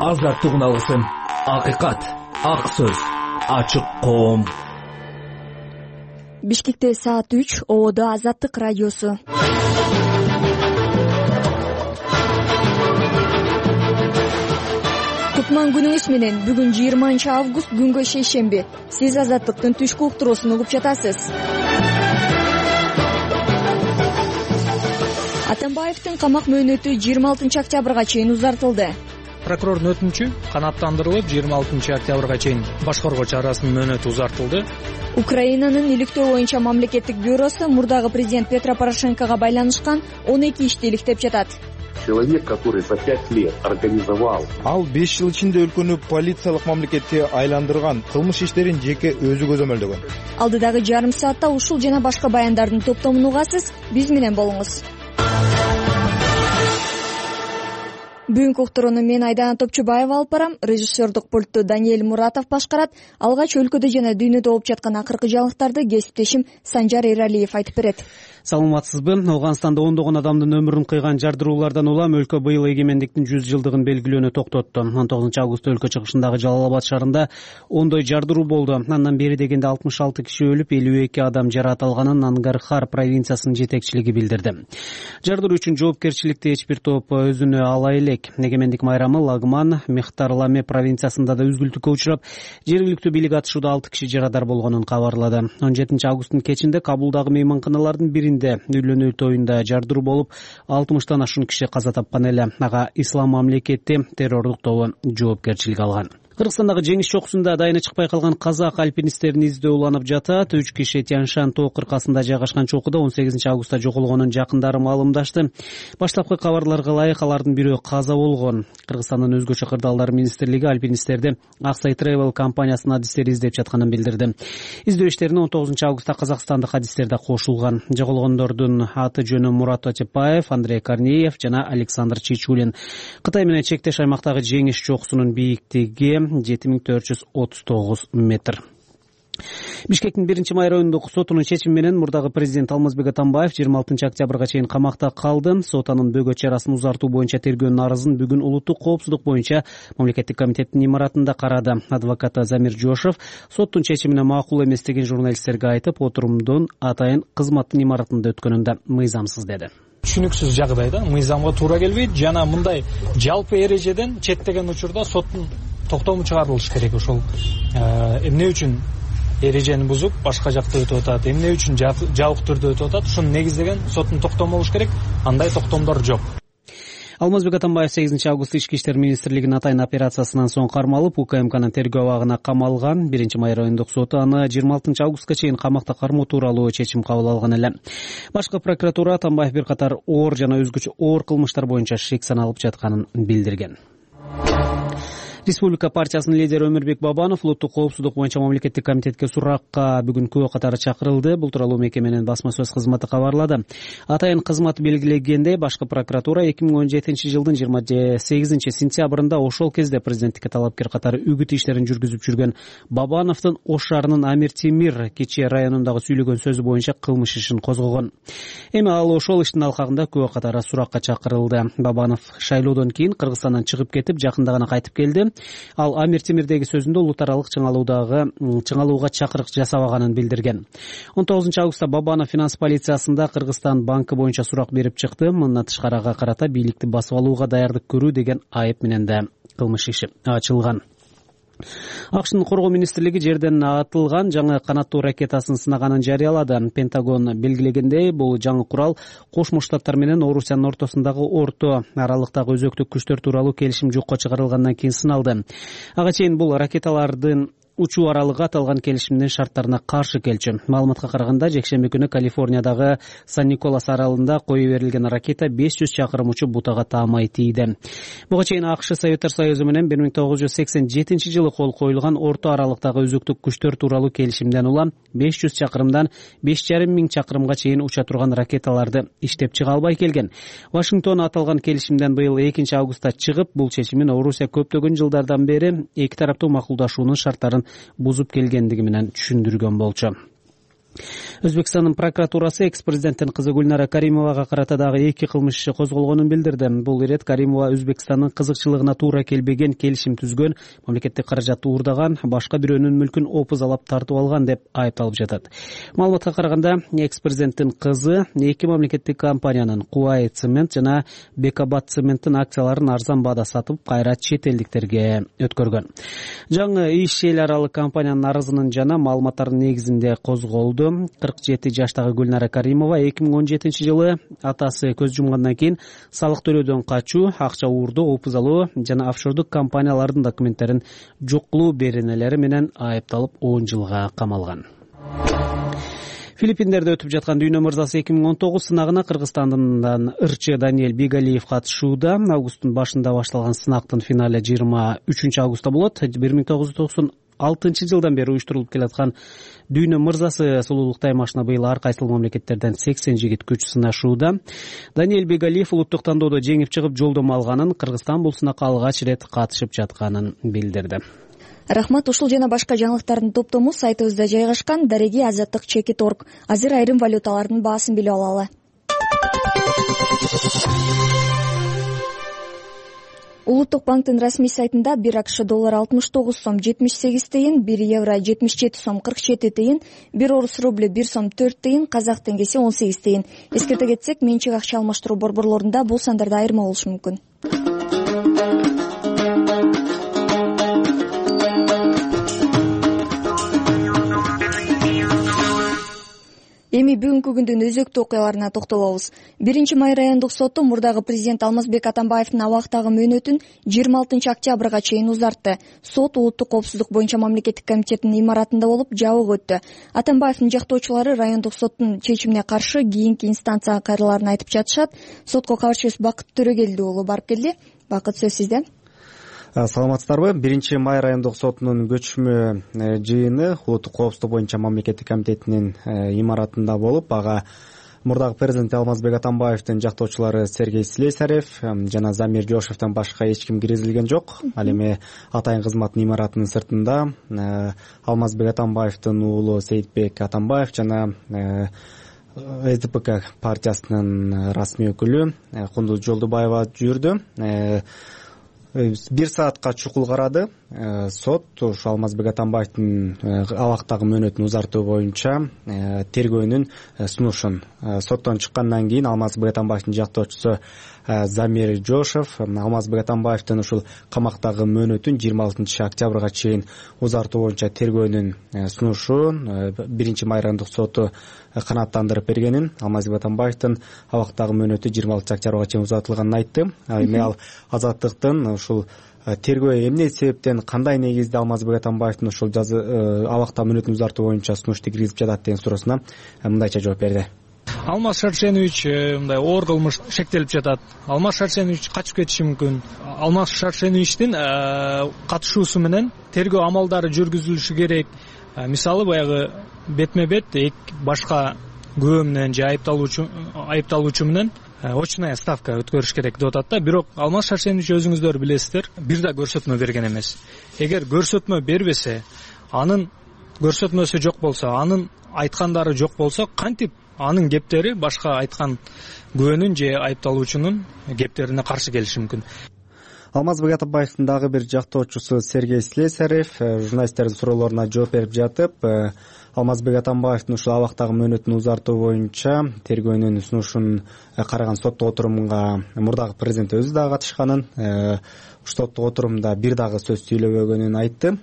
азаттык үналысын, акыйкат, ак сөз, ачык коом. Бишкекте саат 3, Ободо Азаттык радиосу. Кутман күнүңүз менен. Бүгүн 20 август, күнгө шейшемби. Сиз Азаттыктын түшкү уктуруусун угуп жатасыз. Атамбаевдин камак мөөнөтү 26 октябрга чейин узартылды. Прокурордун өтүнүчү канааттандырылып 26 октябрга чейин башкаргыч арасынын мөөнөтү узартылды. Украинанын иликтөө боюнча мамлекеттик бюросу мурдагы президент Петро Порошенкого байланышкан 12 ишти иликтеп жатат. Человек, который за 5 лет организовал. Ал 5 жыл ичинде өлкөнү полициялык мамлекетке айландырган, кылмыш иштерин жеке өзү көзөмөлдөгөн. Алдыдагы жарым саатта ушул жана башка баяндардын топтомун угасыз. Биз менен болуңуз. Бүгүнкү уктурууну мен Айдана Топчубаева алып барам. Режиссердук пультту Даниэль Муратов башкарат. Алгач өлкөдө жана дүйнөдө болуп жаткан акыркы жаңылыктарды кесиптешим Санжар Эралиев айтып берет. Саламатсызбы? Афганистанда ондогон адамдын өмүрүн кыйган жардыруулардан улам өлкө быйыл эгемендиктин 100 жылдыгын белгилөөнү токтотту. 19 августта өлкө чыгышындагы Жалалабад шаарында ондой жардыруу болду. Андан бери дегенде 66 киши өлүп, 52 адам жаракат алганын Нангархар провинциясынын жетекчилиги билдирди. Жардыруу үчүн жоопкерчиликти эч бир топ өзүнө ала элек. Эгемендик майрамы Лагман, Мехтарламе провинциясында да үзгүлтүккө учурап, жергиликтүү бийлик атышууда 6 киши жарадар болгонун кабарлады. 17 августтун кечинде Кабулдагы мейманканалардын биринде үйлөнүү тоюнда жардыруу болуп, 60-тан ашуун киши каза тапкан эле. Ага Ислам мамлекети террордук тобу жоопкерчилик алган. Кыргызстандагы жеңиш чокусунда дайыны чыкпай калган казак альпинисттерин издөө уланып жатат. 3 киши Тяньшан тоо кыркасында жайгашкан чокуда 18 августта жоголгонун жакындары маалымдашты. Баштапкы кабарларга ылайык алардын бирөө каза болгон. Кыргызстандын өзгөчө кырдаалдар министрлиги альпинисттерди Аксай Travel компаниясынын адистери издеп жатканын билдирди. Издөө иштерине 19 августта казакстандык адистер да кошулган. Жоголгондордун аты жөнү Мурат Отепаев, Андрей Корнеев жана Александр Чичулин. Кытай менен чектеш аймактагы жеңиш чокусунун бийиктиги 7439 метр. Бишкектин 1-май райондук сотунун чечими менен мурдагы президент Алмазбек Атамбаев 26 октябрга чейин камакта калды. Сот анын бөгөт чарасын узартуу боюнча тергөөнүн арызын бүгүн улуттук коопсуздук боюнча мамлекеттик комитеттин имаратында карады. Адвокат Замир Жошев соттун чечимине макул эмес деген журналисттерге айтып, отурумдун атайын кызматтын имаратында өткөнүн да мыйзамсыз деди. Түшүнүксүз жагдайда мыйзамга туура келбейт жана мындай жалпы эрежеден четтеген учурда соттун токтому чыгарылыш керек. Ошол эмне үчүн эрежени бузуп башка жакта өтүп атат, эмне үчүн жабык түрдө өтүп атат, ушуну негиздеген соттун токтому болуш керек. Андай токтомдор жок. Алмазбек Атамбаев 8 август Ички иштер министрлигинин атайын операциясынан соң кармалып, УКМКнын тергөө абагына камалган. 1-май райондук соту аны 26 августка чейин камакта кармоо тууралуу чечим кабыл алган эле. Башкы прокуратура Атамбаев бир катар оор жана өзгөчө оор кылмыштар боюнча шек саналып жатканын билдирген. Республика партиясынын лидери Өмүрбек Бабанов улуттук коопсуздук боюнча мамлекеттик комитетке суракка бүгүн күбө катары чакырылды. Бул тууралуу мекеменин басма сөз кызматы кабарлады. Атайын кызмат белгилегендей, башкы прокуратура 2017 жылдын 28 сентябрында ошол кезде президенттикке талапкер катары үгүт иштерин жүргүзүп жүргөн Бабановдун Ош шаарынын Амир Темир Кече районундагы сүйлөгөн сөзү боюнча кылмыш ишин козгогон. Эми ал ошол иштин алкагында күбө катары суракка чакырылды. Бабанов шайлоодон кийин Кыргызстандан чыгып кетип, жакында гана кайтып келди. Ал Амир Темирдеги сөзүндө улут аралык чыңалууга чакырык жасабаганын билдирген. 19 августта Бабанов финанс полициясында Кыргызстан банкы боюнча сурак берип чыкты. Мындан тышкары ага карата бийликти басып алууга даярдык көрүү деген айып менен да кылмыш иши ачылган. АКШнын коргоо министрлиги жерден атылган жаңы канаттуу ракетасын сынаганын жарыялады. Пентагон белгилегендей, бул жаңы курал Кошмо Штаттар менен Орусиянын ортосундагы орто аралыктагы өзөктүк күчтөр тууралуу келишим жокко чыгарылгандан кийин сыналды. Ага чейин бул ракеталардын учуу аралыгы аталган келишимдин шарттарына каршы келчү. Маалыматка караганда, жекшемби күнү Калифорниядагы Сан-Николас аралында кое берилген ракета 500 чакырым учуп бутага таамай тийди. Буга чейин АКШ Советтер Союзу менен 1987 жылы кол коюлган орто аралыктагы өзөктүк күчтөр тууралуу келишимден улам 500 чакырымдан 5500 чакырымга чейин уча турган ракеталарды иштеп чыга албай келген. Вашингтон аталган келишимден быйыл 2 августта чыгып, бул чечимин Орусия көптөгөн жылдардан бери эки тараптуу макулдашуунун шарттарын бузуп келгендиги менен түшүндүргөн болчу. Өзбекстандын прокуратурасы экс-президенттин кызы Гүлнара Каримовага карата дагы 2 кылмыш иши козголгонун билдирди. Бул ирет Каримова Өзбекстандын кызыкчылыгына туура келбеген келишим түзгөн, мамлекеттик каражатты уурдаган, башка бирөөнүн мүлкүн опузалап тартып алган деп айыпталып жатат. Маалыматка караганда, экс-президенттин кызы 2 мамлекеттик компаниянын Куай цемент жана Бекабат цементтин акцияларын арзан баада сатып, кайра чет элдиктерге өткөргөн. Жаңы иш эл аралык компаниянын арызынын жана маалыматтардын негизинде козголду. 47 жаштагы Гүлнара Каримова 2017 жылы атасы көз жумгандан кийин салык төлөөдөн качуу, акча уурдоо, опузалоо жана офшордук компаниялардын документтерин жок кылуу беренелери менен айыпталып 10 жылга камалган. Филиппиндерде өтүп жаткан Дүйнө мырзасы 2019 сынагына Кыргызстандан ырчы Даниэль Бигалиев катышууда. Августтун башында башталган сынактын финале 23 августта болот. 1996 жылдан бери уюштурулуп келаткан Дүйнө мырзасы сулуулук таймашына быйыл ар кайсыл мамлекеттерден 80 жигит күч сынашууда. Даниэль Бигалиев улуттук тандоодо жеңип чыгып жолдомо алганын, Кыргызстан бул сынакка алгач ирет катышып жатканын билдирди. Рахмат. Ушул жана башка жаңылыктардын топтому сайтыбызда жайгашкан. Дареги Азаттык Чекит.орг. Азыр айрым валюталардын баасын билип алалы. Улуттук банктын расмий сайтында 1 АКШ доллары 69 сом 78 тыйын, 1 евро 77 сом 47 тыйын, 1 орус рубль 1 сом 4 тыйын, казак теңгеси 18 тыйын. Эскерте кетсек, менчик акча алмаштыруу борборлорунда бул сандарда айырма болушу мүмкүн. Эми бүгүнкү күндүн өзөктүү окуяларына токтолобуз. 1 май райондук соту мурдагы президент Алмазбек Атамбаевдин абактагы мөөнөтүн 26 октябрга чейин узартты. Сот улуттук коопсуздук боюнча мамлекеттик комитеттин имаратында болуп, жабык өттү. Атамбаевдин жактоочулары райондук соттун чечимине каршы кийинки инстанцияга кайрылаарын айтып жатышат. Сотко кабарчыбыз Бакыт Төрөгелди уулу барып келди. Бакыт, сөз сизде. Саламатсыздарбы? 1 май райондук сотунун көчмө жыйыны улуттук коопсуздук боюнча мамлекеттик комитетинин имаратында болуп, ага мурдагы президент Алмазбек Атамбаевдин жактоочулары Сергей Слесарев жана Замир Жошевден башка эч ким киргизилген жок. Ал эми атайын кызматтын имаратынын сыртында Алмазбек Атамбаевдин уулу Сейитбек Атамбаев жана СДПК партиясынын расмий өкүлү Кундуз Жолдубаева жүрдү. 1 саатка чукул карады. Сот ушу Алмазбек Атамбаевдин абактагы мөөнөтүн узартуу боюнча тергөөнүн сунушун соттон чыккандан кийин Алмазбек Атамбаевдин жактоочусу Замир Жошев Алмазбек Атамбаевдин ушул камактагы мөөнөтүн 26 октябрга чейин узартуу боюнча тергөөнүн сунушун 1 май райондук соту канааттандырып бергенин, Алмазбек Атамбаевдин абактагы мөөнөтү 26 октябрга чейин узартылганын айтты. Эми ал Азаттыктын ушул тергөө эмне себептен, кандай негизде Алмазбек Атамбаевдин ушул абакта мөөнөтүн узартуу боюнча сунушту киргизип жатат деген суроосуна мындайча жооп берди. Алмаз Шаршенович мындай оор кылмыш шектелип жатат. Алмаз Шаршенович качып кетиши мүмкүн. Алмаз Шаршеновичтин катышуусу менен тергөө амалдары жүргүзүлүшү керек. Мисалы баягы бетме-бет башка күбө менен же айыпталуучу менен очная ставка өткөрүш керек деп атат да. Бирок Алмаз Шаршенович өзүңүздөр билесиздер, бир да көрсөтмө берген эмес. Эгер көрсөтмө бербесе, анын көрсөтмөсү жок болсо, анын айткандары жок болсо, кантип анын кептери башка айткан күбөнүн же айыпталуучунун кептерине каршы келиши мүмкүн. Алмазбек Атамбаевдин дагы бир жактоочусу Сергей Слесарев журналисттердин суроолоруна жооп берип жатып, Алмазбек Атамбаевдин ушул абактагы мөөнөтүн узартуу боюнча тергөөнүн сунушун караган соттук отурумга мурдагы президент өзү дагы катышканын, соттук отурумда бир дагы сөз сүйлөбөгөнүн айтты.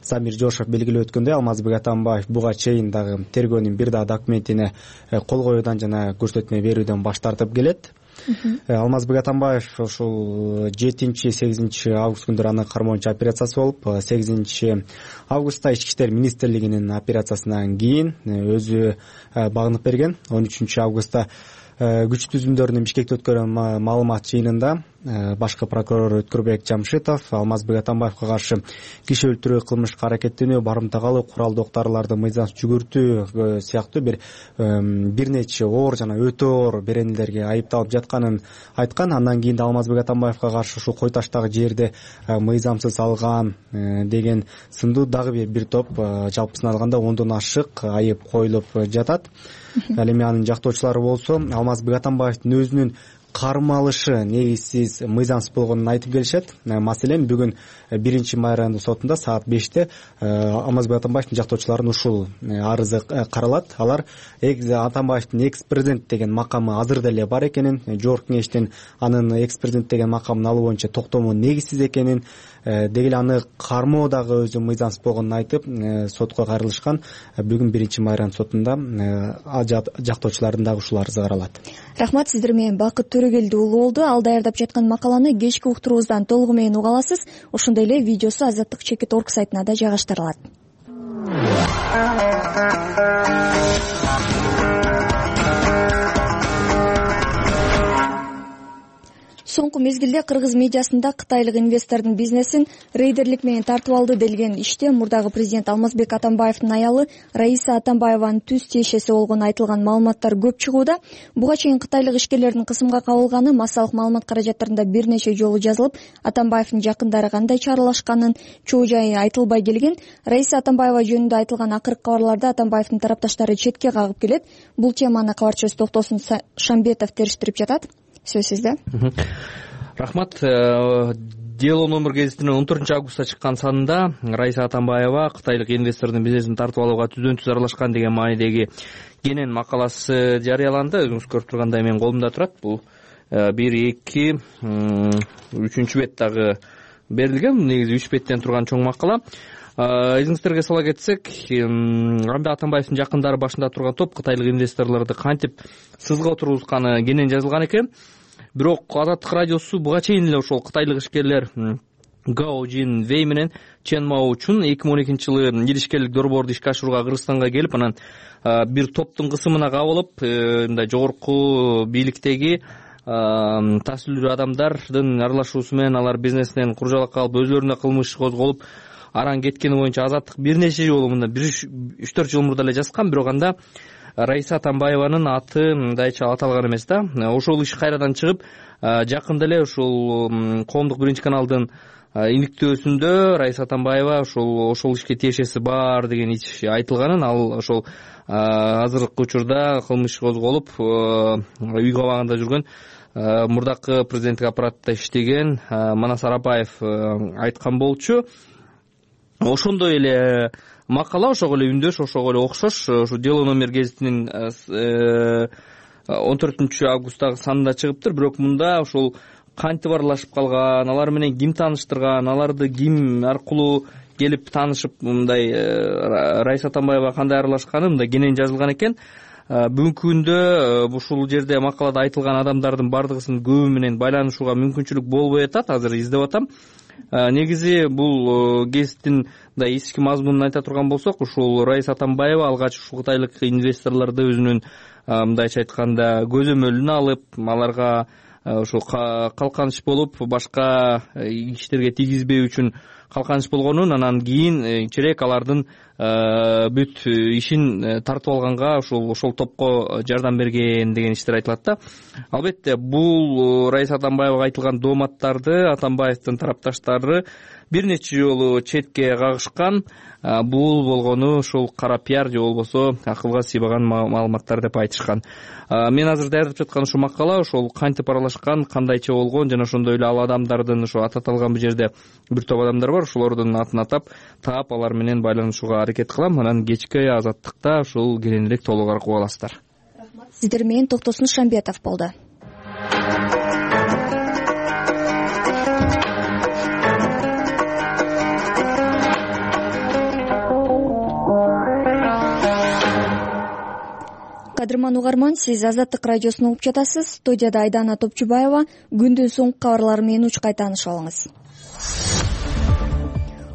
Замир Жошев белгилеп өткөндөй, Алмазбек Атамбаев буга чейин дагы тергөөнүн бир дагы документине кол коюудан жана көрсөтмө берүүдөн баш тартып келет. Алмазбек Атамбаев ушул 7-8 август күндөрү анын кармоончу операциясы болуп, 8 августта Ички иштер министрлигинин операциясынан кийин өзү багынып берген. 13 августта күч түзүмдөрүнүн Бишкекте өткөргөн маалымат жыйынында башкы прокурор Өткүрбек Жамшитов Алмазбек Атамбаевга каршы киши өлтүрүү, кылмышка аракеттенүү, барымтага алуу, куралдуу октарларды мыйзамсыз жүгүртүү сыяктуу бир нече оор жана өтө оор беренелерге айыпталып жатканын айткан. Андан кийин Алмазбек Атамбаевга каршы ушул Кой таштагы жерди мыйзамсыз алган деген сындуу дагы бир топ жалпысынан алганда 10дон ашык айып коюлуп жатат. Ал эми анын жактоочулары болсо Алмазбек Атамбаевдин өзүнүн кармалышы негизсиз, мыйзамсыз болгонун айтып келишет. Маселен, бүгүн 1 майрандын сотунда саат 5-те Алмазбек Атамбаевдин жактоочуларынын ушул арызы каралат. Алар Атамбаевдин экс-президент деген макамы азыр деле бар экенин, жогорку кеңештин анын экс-президент деген макамын алуу боюнча токтому негизсиз экенин, деги эле аны кармоо дагы өзү мыйзамсыз болгонун айтып сотко кайрылышкан. Бүгүн 1 майрандын сотунда жактоочулардын дагы ушул арызы каралат. Рахмат, сиздер менен Бакыт Төрөгелди уулу болду. Ал даярдап жаткан макаланы кечки уктуруубуздан толугу менен уга аласыз. Ошондой эле видеосу azattik.org сайтына да жайгаштырылат. Соңку мезгилде кыргыз медиасында кытайлык инвестордун бизнесин рейдерлик менен тартып алды делген иште мурдагы президент Алмазбек Атамбаевдин аялы Раиса Атамбаеванын түз тиешеси болгону айтылган маалыматтар көп чыгууда. Буга чейин кытайлык ишкерлердин кысымга кабылганы, массалык маалымат каражаттарында бир нече жолу жазылып, Атамбаевдин жакындары кандай чаралашканын чоо жайы айтылбай келген. Раиса Атамбаева жөнүндө айтылган акыркы кабарларда Атамбаевдин тарапташтары четке кагып келет. Бул теманы кабарчыбыз Токтосун Шамбетов териштирип жатат. Сөз сизде. Рахмат. Дело номер гезитинин 14 августта чыккан санында Раиса Атамбаева кытайлык инвестордун бизнесин тартып алууга түздөн-түз аралашкан деген маанидеги кенен макаласы жарыяланды. Өзүңүз көрүп тургандай менин колумда турат. Бул 1, 2, 3 бет дагы берилген. Негизи 3 беттен турган чоң макала. Эсиңиздерге сала кетсек, Рамбек Атамбаевдин жакындары башында турган топ кытайлык инвесторлорду кантип сызга отургузганы кенен жазылган экен. Бирок Азаттык радиосу буга чейин эле ошол кытайлык ишкерлер Гао Жин Вэй менен Чен Мао Чун 2012-жылы эл ишкерлик долбоорду ишке ашырууга Кыргызстанга келип, анан бир топтун кысымына кабылып, мындай жогорку бийликтеги таасирлүү адамдардын аралашуусу менен алар бизнесинен куржалакка алып, өзлөрүнө кылмыш козголуп, аран кеткени боюнча Азаттык бир нече жолу мында 3-4 жыл мурда эле жазган, бирок анда Раиса Атамбаеванын аты мындайча аталган эмес да. Ошол иш кайрадан чыгып, жакында эле ушул коомдук 1-каналдын иликтөөсүндө Раиса Атамбаева ошол ишке тиешеси бар деген иш айтылганын, ал ошол азыркы учурда кылмыш козголуп, үй кабагында жүргөн мурдакы президенттик аппаратта иштеген Манас Арапаев айткан болчу. Ошондой эле макала, ошого эле үндөш, ошого эле окшош ушу Дело номер гезитинин 14 августтагы санында чыгыптыр. Бирок мында ошол кантип аралашып калган, алар менен ким тааныштырган, аларды ким аркылуу келип таанышып, мындай Раиса Атамбаева кандай аралашканы мында кенен жазылган экен. Бүгүнкү күндө ушул жерде макалада айтылган адамдардын бардыгысынын көбү менен байланышууга мүмкүнчүлүк болбой атат. Азыр издеп атам. Негизи бул гезиттин эски мазмунун айта турган болсок, ушул Раиса Атамбаева алгач ушул кытайлык инвесторлорду өзүнүн мындайча айтканда көзөмөлүнө алып, аларга ушул калканыч болуп, башка иштерге тийгизбөө үчүн калканыч болгонун, анан кийин чирек алардын бүт ишин тартып алганга ошол топко жардам берген деген иштер айтылат да. Албетте, бул Раиса Атамбаевага айтылган дооматтарды Атамбаевдин тарапташтары бир нече жолу четке кагышкан. Бул болгону ушул кара пиар же болбосо акылга сыйбаган маалыматтар деп айтышкан. Мен азыр даярдап жаткан ушул макала ошол кантип аралашкан, кандайча болгон жана ошондой эле ал адамдардын ошо аталган бул жерде бир топ адамдар бар, ошолордун атын атап, таап алар менен байланышууга аракет кылам. Анан кечки Азаттыкта ушул кененирээк толугураак уга аласыздар. Рахмат. Сиздер менен Токтосун Шамбетов болду. Кадырман угарман, сиз Азаттык радиосун угуп жатасыз. Студияда Айдана Топчубаева. Күндүн соңку кабарлары менен учкай таанышып алыңыз.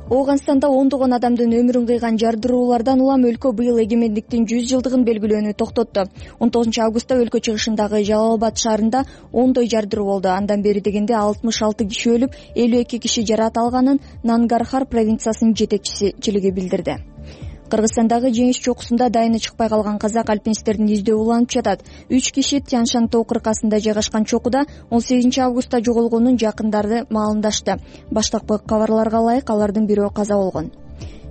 Ооганстанда ондогон адамдын өмүрүн кыйган жардыруулардан улам өлкө быйыл эгемендиктин 100 жылдыгын белгилөөнү токтотту. 19-августта өлкө чыгышындагы Жалал-Абад шаарында ондой жардыруу болду. Андан бери дегенде 66 киши өлүп, 52 киши жаракат алганын Нангархар провинциясынын жетекчилиги билдирди. Кыргызстандагы жеңиш чокусунда дайыны чыкпай калган казак альпинисттердин издөө уланып жатат. 3 киши Тяншан тоо кыркасында жайгашкан чокуда 18-августта жоголгонун жакындары маалымдашты. Баштапкы кабарларга ылайык алардын бирөө каза болгон.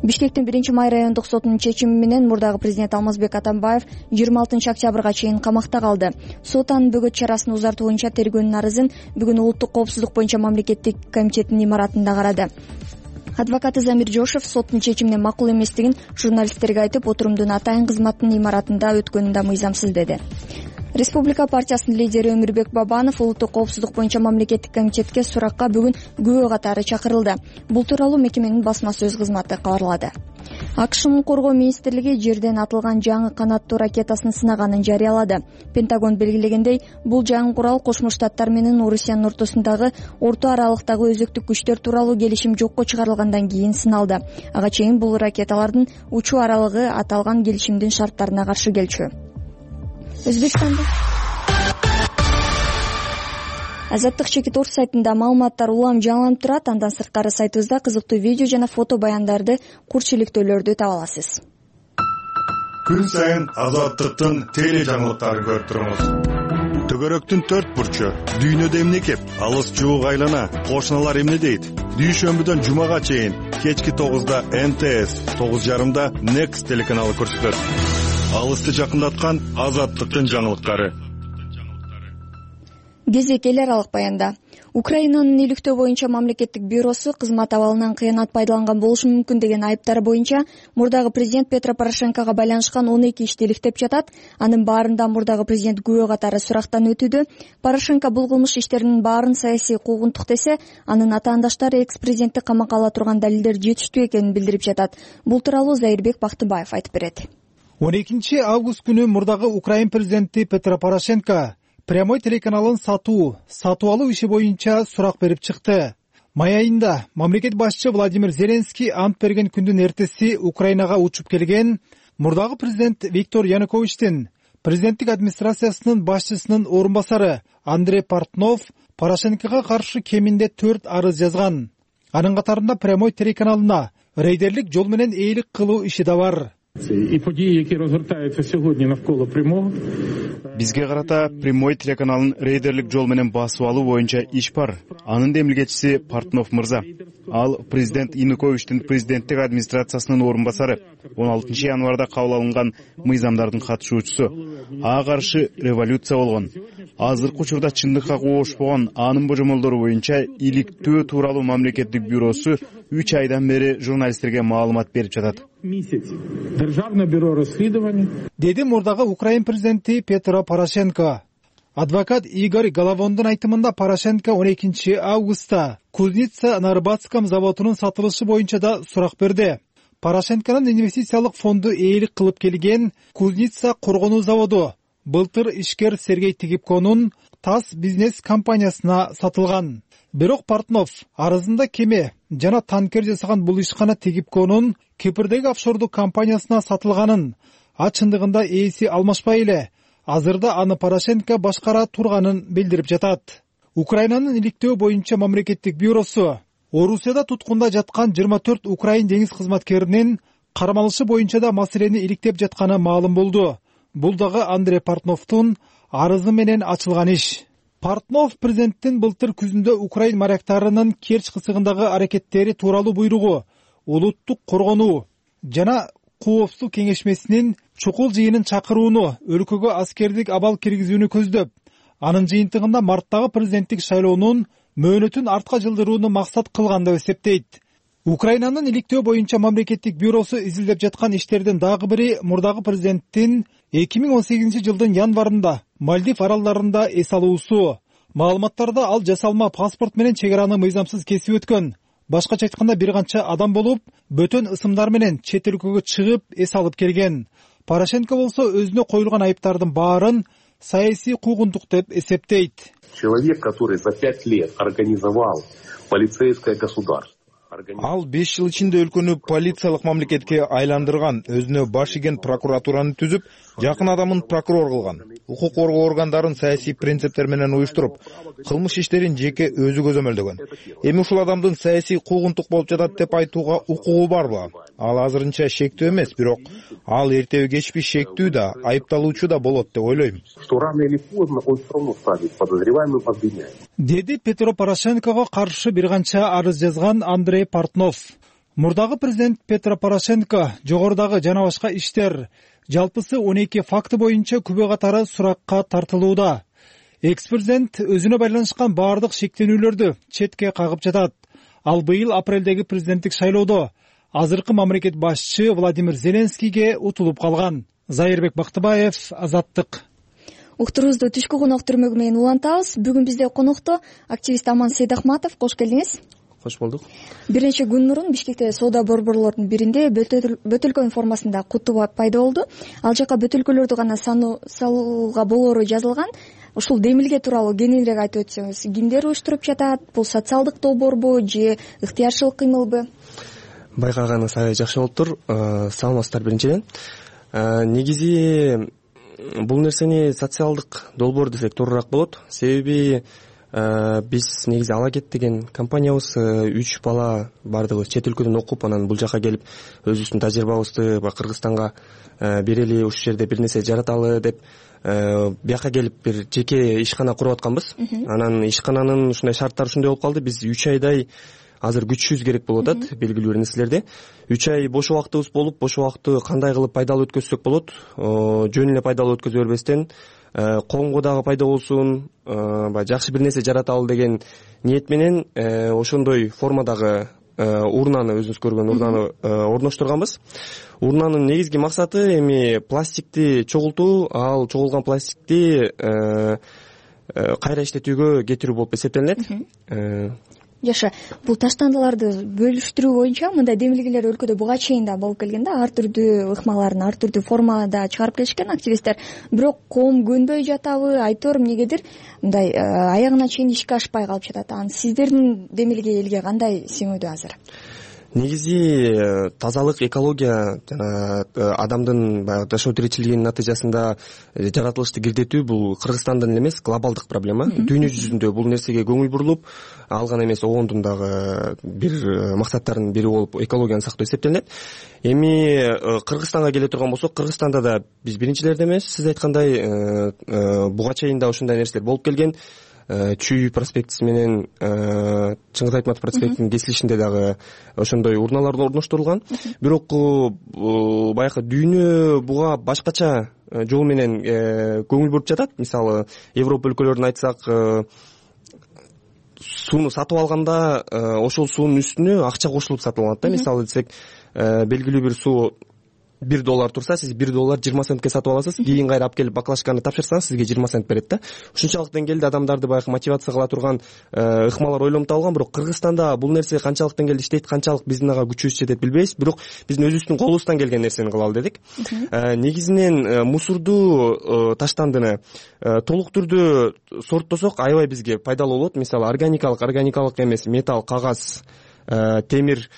Бишкектин 1-май райондук сотунун чечими менен мурдагы президент Алмазбек Атамбаев 26-октябрга чейин камакта калды. Сот анын бөгөт чарасын узартуу боюнча тергөөнүн арызын бүгүн Улуттук коопсуздук боюнча мамлекеттик комитеттин имаратында карады. Адвокаты Замир Жошев соттун чечимине макул эместигин журналисттерге айтып, отурумдун атайын кызматтын имаратында өткөнүн да мыйзамсыз деди. Республика партиясынын лидери Өмүрбек Бабанов Улуттук коопсуздук боюнча мамлекеттик комитетке суракка бүгүн күбө катары чакырылды. Бул тууралуу мекеменин басма сөз кызматы кабарлады. АКШнын коргоо министрлиги жерден атылган жаңы канаттуу ракетасын сынаганын жарыялады. Пентагон белгилегендей, бул жаңы курал Кошмо Штаттар менен Орусиянын ортосундагы орто аралыктагы өзөктүк күчтөр тууралуу келишим жокко чыгарылгандан кийин сыналды. Ага чейин бул ракеталардын учуу аралыгы аталган келишимдин шарттарына каршы келчү. Өзбекстанда Азаттык чекит орус сайтында маалыматтар улам жаңыланып турат. Андан сырткары сайтыбызда кызыктуу видео жана фото баяндарды, курчиликтөөлөрдү таба аласыз. Күн сайын Азаттыктын теле жаңылыктарын көрүп туруңуз. Төгөрөктүн 4 бурчу, дүйнөдө эмне кеп, алыс жуук айлана, кошуналар эмне дейт? Дүйшөмбүдөн жумага чейин кечки 9да НТС, 9:30да Next телеканалы көрсөтөт. Алысты жакындаткан Азаттыктын жаңылыктары. Кезек эл аралык баянда. Украинанын иликтөө боюнча мамлекеттик бюросу кызмат абалынан кыянат пайдаланган болушу мүмкүн деген айыптар боюнча мурдагы президент Петро Порошенкого байланышкан 12 ишти иликтеп жатат. Анын баарында мурдагы президент күбө катары сурактан өтүүдө. Порошенко бул кылмыш иштеринин баарын саясий куугунтук десе, анын атаандаштары экс-президентти камакка ала турган далилдер жетиштүү экенин билдирип жатат. Бул тууралуу Зайырбек Бактыбаев айтып берет. 12 август күнү мурдагы Украин президенти Петро Порошенко прямой телеканалын сатуу алуу иши боюнча сурак берип чыкты. Май айында мамлекет башчы Владимир Зеленский ант берген күндүн эртеси Украинага учуп келген мурдагы президент Виктор Януковичтин президенттик администрациясынын башчысынын орун басары Андрей Портнов Порошенкого каршы кеминде 4 арыз жазган. Анын катарында прямой телеканалына рейдерлик жол менен ээлик кылуу иши да бар. І події, які розгортаються сьогодні навколо прямого. Бизге карата прямой телеканалын рейдерлик жол менен басып алуу боюнча иш бар. Анын демилгечиси Портнов мырза. Ал президент Януковичтин президенттик администрациясынын орун басары 16 январда кабыл алынган мыйзамдардын катышуучусу. Ага каршы революция болгон. Азыркы учурда чындыкка коошпогон анын божомолдору боюнча иликтөө тууралуу мамлекеттик бюросу 3 айдан бери журналисттерге маалымат берип жатат. Державное бюро расследования. Деди мурдагы Украин президенти Петро Порошенко. Адвокат Игорь Головондун айтымында Порошенко 12 августта Кузница на Рыбацком заводунун сатылышы боюнча да сурак берди. Порошенконун инвестициялык фонду ээлик кылып келген Кузница коргонуу заводу былтыр ишкер Сергей Тигипконун ТАСС бизнес компаниясына сатылган. Бирок Портнов арызында кеме жана танкер жасаган бул ишкана Тигипконун Кипрдеги офшордук компаниясына сатылганын, а чындыгында ээси алмашпай эле азырда аны Порошенко башкара турганын билдирип жатат. Украинанын иликтөө боюнча мамлекеттик бюросу Орусияда туткунда жаткан 24 Украин деңиз кызматкеринин кармалышы боюнча да маселени иликтеп жатканы маалым болду. Бул дагы Андрей Портновдун арызы менен ачылган иш. Портнов президенттин былтыр күзүндө Украин моряктарынын Керчь кысыгындагы аракеттери тууралуу буйругу улуттук коргонуу жана коопсуздук кеңешмесинин чукул жыйынын чакырууну өлкөгө аскердик абал киргизүүнү көздөп, анын жыйынтыгында марттагы президенттик шайлоонун мөөнөтүн артка жылдырууну максат кылган деп эсептейт. Украинанын иликтөө боюнча мамлекеттик бюросу изилдеп жаткан иштердин дагы бири мурдагы президенттин 2018 жылдын январында Мальдив аралдарында эс алуусу. Маалыматтарда ал жасалма паспорт менен чек араны мыйзамсыз кесип өткөн. Башкача айтканда бир канча адам болуп, бөтөн ысымдар менен чет өлкөгө чыгып эс алып келген. Порошенко болсо өзүнө коюлган айыптардын баарын саясий куугунтук деп эсептейт. Человек, который за 5 лет организовал полицейское государство, Ал 5 жыл ичинде өлкөнү полициялык мамлекетке айландырган, өзүнө баш ийген прокуратураны түзүп, жакын адамын прокурор кылган. Укук коргоо органдарын саясий принциптер менен уюштуруп, кылмыш иштерин жеке өзү көзөмөлдөгөн. Эми ушул адамдын саясий куугунтук болуп жатат деп айтууга укугу барбы? Ал азырынча шектүү эмес, бирок ал эртеби кечпи шектүү да, айыпталуучу да болот деп ойлойм. Что рано или поздно он все равно станет подозреваемым, обвиняемым. Деди Петро Порошенкого каршы бир канча арыз жазган Андрей Портнов. Мурдагы президент Петро Порошенко жогорудагы жана башка иштер, жалпысы 12 факты боюнча күбө катары суракка тартылууда. Экс-президент өзүнө байланышкан баардык шектенүүлөрдү четке кагып жатат. Ал быйыл апрелдеги президенттик шайлоодо азыркы мамлекет башчы Владимир Зеленскийге утулуп калган. Зайырбек Бактыбаев, Азаттык. Уктурубузду түшкү конок түрмөгү менен улантабыз. Бүгүн бизде конокто активист Аман Сейдахматов. Кош келдиңиз. Кош болдук. Бир нече күн мурун Бишкекте соода борборлордун биринде бөтөлкө формасында куту пайда болду. Ал жака бөтөлкөлөрдү гана салууга болоору жазылган. Ушул демилге тууралуу кененирээк айтып өтсөңүз, кимдер уюштуруп жатат? Бул социалдык долбоорбу же ыктыярчылык кыймылбы? Байкаганыңыз аябай жакшы болуптур. Саламатсыздар биринчиден. Негизи бул нерсени социалдык долбоор десек туурураак болот. Себеби биз негизи Алагет деген компаниябыз 3 бала бардыгы чет өлкөдөн окуп, анан бул жака келип өзүбүздүн тажрыйбабызды Кыргызстанга берели, ушул жерде бир нерсе жараталы деп бияка келип бир жеке ишкана куруп атканбыз. Анан ишкананын ушундай шарттары ушундай болуп калды. Биз 3 айдай азыр күчүбүз керек болуп атат белгилүү бир нерселерде. 3 ай бош убактыбыз болуп, бош убакытты кандай кылып пайдалуу өткөзсөк болот, жөн эле пайдалуу өткөзө бербестен коомго дагы пайда болсун, жакшы бир нерсе жараталы деген ниет менен ошондой формадагы урнаны, өзүңүз көргөн урнаны орноштурганбыз. Урнанын негизги максаты эми пластикти чогултуу, ал чогулган пластикти кайра иштетүүгө кетирүү болуп эсептелинет. Жаша, бул таштандыларды бөлүштүрүү боюнча мындай демилгелер өлкөдө буга чейин да болуп келген да, ар түрдүү ыкмаларын ар түрдүү формада чыгарып келишкен активисттер. Бирок коом көнбөй жатабы, айтор эмнегедир мындай аягына чейин ишке ашпай калып жатат. Анан сиздердин демилге элге кандай сиңүүдө азыр? Негизи тазалык, экология жана адамдын баягы жашоо тиричилигинин натыйжасында жаратылышты кирдетүү бул Кыргызстандын эле эмес, глобалдык проблема. Дүйнө жүзүндө бул нерсеге көңүл бурулуп, ал гана эмес, ООНдун дагы бир максаттарынын бири болуп экологияны сактоо эсептелинет. Эми Кыргызстанга келе турган болсок, Кыргызстанда да биз биринчилерде эмес, сиз айткандай буга чейин да ушундай нерселер болуп келген. Чүй проспектиси менен Чыңгыз Айтматов проспектинин кесилишинде дагы ошондой урналар орноштурулган. Бирок баягы дүйнө буга башкача жол менен көңүл буруп жатат. Мисалы, Европа өлкөлөрүн айтсак, сууну сатып алганда ошол суунун үстүнө акча кошулуп сатып алынат да. Мисалы десек, белгилүү бир суу $1 турса, сиз $1 20 центке сатып аласыз, кийин кайра алып келип баклажканы тапшырсаңыз, сизге 20 цент берет да. Ушунчалык деңгээлде адамдарды баягы мотивация кыла турган ыкмалар ойлонуп табылган. Бирок Кыргызстанда бул нерсе канчалык деңгээлде иштейт, канчалык биздин ага күчүбүз жетет билбейбиз. Бирок биздин өзүбүздүн колубуздан келген нерсени кылалы дедик. Негизинен мусорду, таштандыны толук түрдө сорттосок аябай бизге пайдалуу болот. Мисалы, органикалык эмес, металл, кагаз, темир,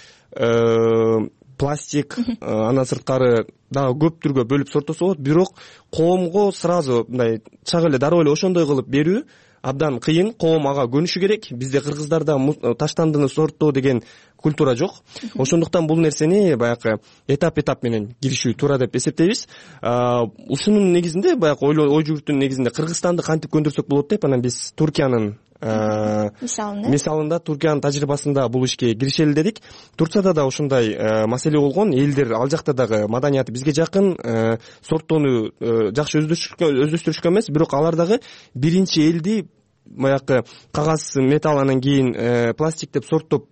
пластик, андан сырткары дагы көп түргө бөлүп сорттосо болот. Бирок коомго сразу мындай чак эле дароо эле ошондой кылып берүү абдан кыйын. Коом ага көнүшү керек. Бизде Кыргыздарда таштандыны сорттоо деген культура жок. Ошондуктан бул нерсени баягы этап менен киришүү туура деп эсептейбиз. Ушунун негизинде баягы ой жүгүртүүнүн негизинде Кыргызстанды кантип көндүрсөк болот деп, анан биз Туркиянын мисалында, Туркиянын тажрыйбасында бул ишке киришели дедик. Турцияда да ушундай маселе болгон. Элдер ал жакта дагы маданияты бизге жакын, сорттоону жакшы өздөштүрүшкөн эмес, бирок алар дагы биринчи элди баягы кагаз, металл, анан кийин пластик деп сорттоп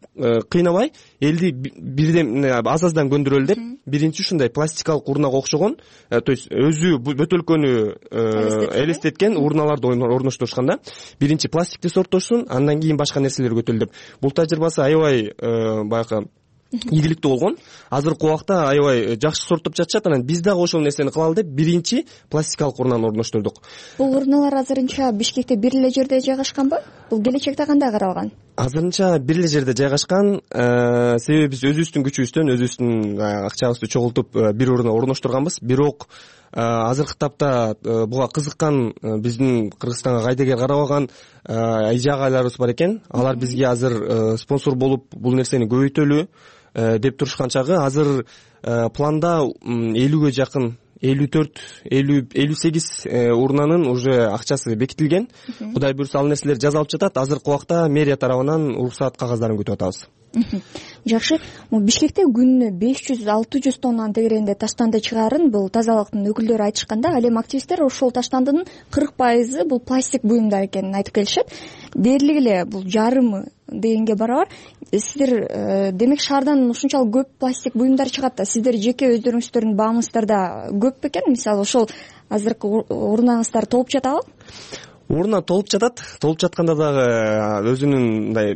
кыйнабай, элди бирден аз-аздан көндүрөлү деп биринчи ушундай пластикалык урнага окшогон, то есть өзү бөтөлкөнү элестеткен урналарды орноштурушкан да. Биринчи пластикти сорттошсун, андан кийин башка нерселер көтөлү деп. Бул тажрыйбасы аябай баягы ийгиликтүү болгон. Азыркы убакта аябай жакшы сорттоп жатышат. Анан биз дагы ошол нерсени кылалы деп биринчи пластикалык урнаны орноштурдук. Бул урналар азырынча Бишкекте бир эле жерде жайгашканбы? Бул келечекте кандай каралган? азырынча бир эле жерде жайгашкан. Себеби биз өзүбүздүн күчүбүздөн өзүбүздүн акчабызды чогултуп бир орунда орноштурганбыз. Бирок азыркы тапта буга кызыккан биздин Кыргызстанга кайдыгер карабаган эже агайларыбыз бар экен. Алар бизге азыр спонсор болуп бул нерсени көбөйтөлү деп турушкан чагы азыр планда 50-ге жакын 54-58 урнанын уже акчасы бекитилген. Кудай буйрса ал нерселер жасалып жатат. Азыркы убакта мэрия тарабынан уруксаат кагаздарын күтүп атабыз. Жакшы. Бишкекте күнүнө 500-600 тоннанын тегерегинде таштанды чыгарын бул тазалыктын өкүлдөрү айтышканда, ал эми активисттер ошол таштандынын 40% бул пластик буюмдар экенин айтып келишет. Дээрлик эле бул жарымы дегенге барабар. Сиздер демек шаардан ушунчалык көп пластик буюмдар чыгат да, сиздер жеке өздөрүңүздөрдүн баамыңыздарда көп бекен? Мисалы ошол азыркы урнаңыздар толуп жатабы? Урна толуп жатат. Толуп жатканда дагы өзүнүн мындай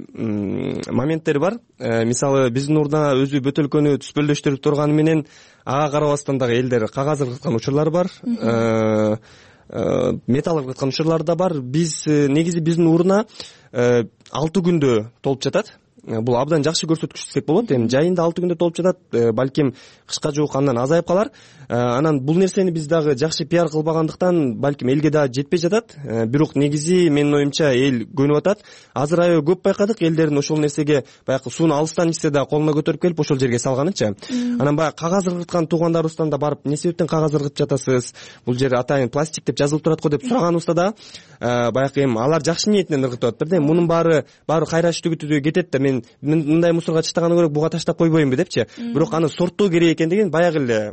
моменттери бар. Мисалы биздин урна өзү бөтөлкөнү түспөлдөштүрүп турганы менен ага карабастан дагы элдер кагаз ыргыткан учурлар бар. Металл ыргыткан учурлар да бар. Биз негизи биздин урна 6 күндө толуп жатат. Бул абдан жакшы көрсөткүч десек болот. Эми жайында 6 күндө толуп жатат. Балким кышка жуук андан азайып калар. Анан бул нерсени биз дагы жакшы пиар кылбагандыктан балким элге дагы жетпей жатат. Бирок негизи менин оюмча эл көнүп атат. Азыр аябай көп байкадык элдердин ошол нерсеге баягы сууну алыстан ичсе да колуна көтөрүп келип ошол жерге салганычы. Анан баягы кагаз ыргыткан туугандарыбыздан да барып, эмне себептен кагаз ыргытып жатасыз? Бул жер атайын пластик деп жазылып турат го деп сураганыбызда да баягы эми алар жакшы ниетинен ыргытып атат. Бирден мунун баары кайрач түгүтүдө кетет да, мен мындай мусорго таштагандан көрө буга таштап койбоймунбу депчи. Бирок аны сорттоо керек экендигин баягы эле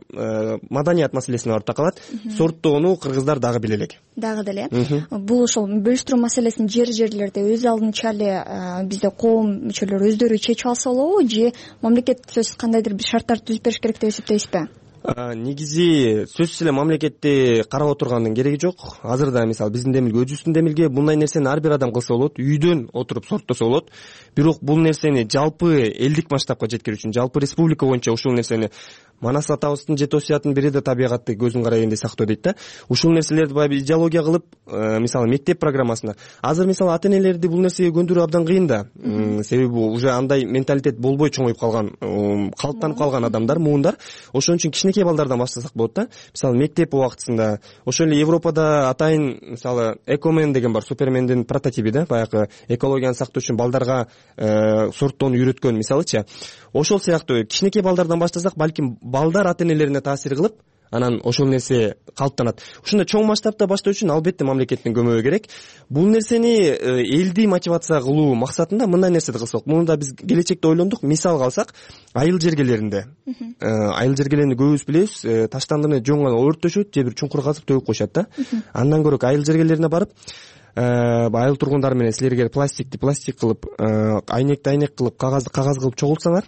маданият маселесине барып такалат. Сорттоону кыргыздар дагы биле элек. Дагы деле. Бул ошол бөлүштүрүү маселесин жерлерде өз алдынча эле бизде коом мүчөлөрү өздөрү чечип алса болобу, же мамлекет сөзсүз кандайдыр бир шарттарды түзүп бериш керек деп эсептейсизби? Негизи сөзсүз эле мамлекетти карап отургандын кереги жок. Азырда мисалы биздин демилге, өзүбүздүн демилге мындай нерсени ар бир адам кылса болот, үйдөн отуруп сорттосо болот. Бирок бул нерсени жалпы элдик масштабка жеткирүү үчүн, жалпы республика боюнча ушул нерсени Манас атабыздын жет осуятынын бири да табигатты көзүн карагенде сактоо дейт да. Ушул нерселерди баягы идеология кылып, мисалы мектеп программасына. Азыр мисалы ата-энелерди бул нерсеге көндүрүү абдан кыйын да. Себеби уже андай менталитет болбой чоңоюп калган, калыптанып калган адамдар, муундар. Ошон үчүн кичинекей балдардан баштасак болот да. Мисалы мектеп убактысында, ошол эле Европада атайын мисалы Экомен деген бар, Супермендин прототиби да, баягы экологияны сактоо үчүн балдарга сорттоону үйрөткөн мисалычы. Ошол сыяктуу кичинекей балдардан баштасак, балким балдар ата-энелерине таасир кылып, анан ошол нерсе калыптанат. Ушундай чоң масштабта баштоо үчүн албетте мамлекеттин көмөгү керек. Бул нерсени элди мотивация кылуу максатында мындай нерседи кылсак, муну да биз келечекте ойлондук. Мисал алсак, айыл жергелеринде, айыл жергелеринде көбүбүз билебиз, таштандыны жоңгон өрттөшөт, же бир чуңкур казып төгүп коюшат да. Андан көрө айыл жергелерине барып, айыл тургундары менен силер пластик кылып, айнек кылып, кагаз кылып чогултсаңар,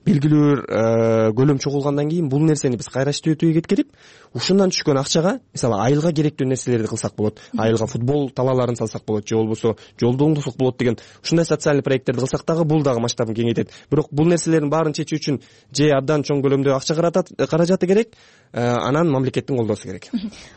белгилүү бир көлөм чогулгандан кийин бул нерсени биз кайра иштетүүгө кеткирип, ушундан түшкөн акчага мисалы айылга керектүү нерселерди кылсак болот. Айылга футбол талааларын салсак болот, же болбосо жолду оңдосок болот деген ушундай социалдык проекттерди кылсак дагы бул дагы масштабын кеңейтет. Бирок бул нерселердин баарын чечүү үчүн же абдан чоң көлөмдө акча каражаты керек, анан мамлекеттин колдоосу керек.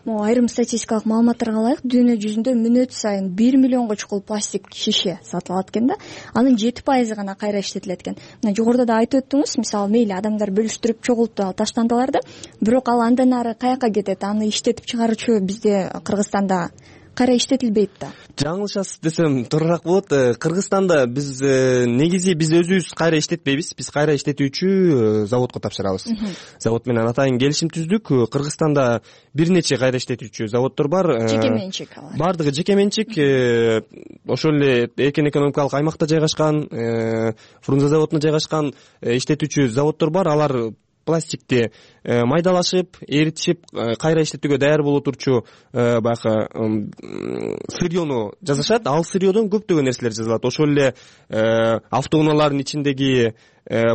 Могу айрым статистикалык маалыматтарга ылайык, дүйнө жүзүндө мүнөт сайын 1 миллионго чукул пластик шише сатылат экен да. Анын 7% гана кайра иштетилет экен. Мына жогоруда да айтып өттүңүз, мисалы мейли адамдар бөлүштүрүп чогултуп таштандыларды, бирок ал андан ары каяка кетет? Аны иштетип чыгаруучу бизде Кыргызстанда кайра иштетилбейт да. Жаңылышасыз десем туурараак болот. Кыргызстанда биз негизи биз өзүбүз кайра иштетпейбиз. Биз кайра иштетүүчү заводко тапшырабыз. Завод менен атайын келишим түздүк. Кыргызстанда бир нече кайра иштетүүчү заводдор бар. Жеке менчик алар. Бардыгы жеке менчик. Ошол эле эркин экономикалык аймакта жайгашкан, Фрунзе заводуна жайгашкан иштетүүчү заводдор бар. Алар пластикти майдалашып, эритишип, кайра иштетүүгө даяр боло турчу баягы сырьёну жасашат. Ал сырьёдон көптөгөн нерселер жасалат. Ошол эле автоунаалардын ичиндеги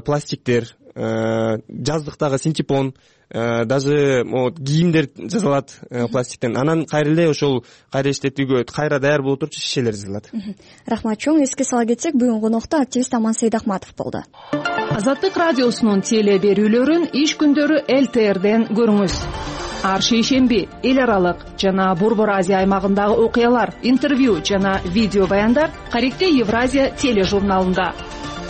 пластиктер, жаздыктагы синтепон, даже кийимдер жасалат пластиктен. Анан кайра эле ошол кайра иштетүүгө кайра даяр боло турчу шишелер жасалат. Рахмат чоң. Эске сала кетсек, бүгүн конокто активист Аман Сейдахматов болду. Азаттык радиосунун теле берүүлөрүн иш күндөрү ЛТРден көрүңүз. ар шейшемби эл аралык жана Борбор Азия аймагындагы окуялар, интервью жана видео баяндар Каректе Евразия тележурналында.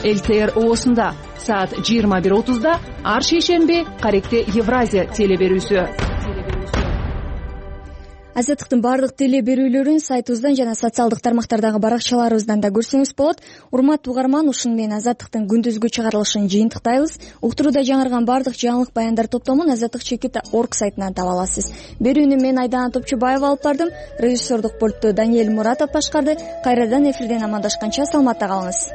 ЛТР оосунда саат 21:30 ар шейшемби Каректе Евразия телеберүүсү. Азаттыктын бардык теле берүүлөрүн сайтыбыздан жана социалдык тармактардагы баракчаларыбыздан да көрсөңүз болот. Урматтуу угарман, ушуну менен Азаттыктын күндүзгү чыгарылышын жыйынтыктайбыз. Уктурууда жаңырган бардык жаңылык баяндар топтомун azаттык.org сайтынан таба аласыз. Берүүнү мен Айдана Топчубаева алып бардым. Режиссердук пультту Даниэль Муратов башкарды. Кайрадан эфирден амандашканча саламатта калыңыз.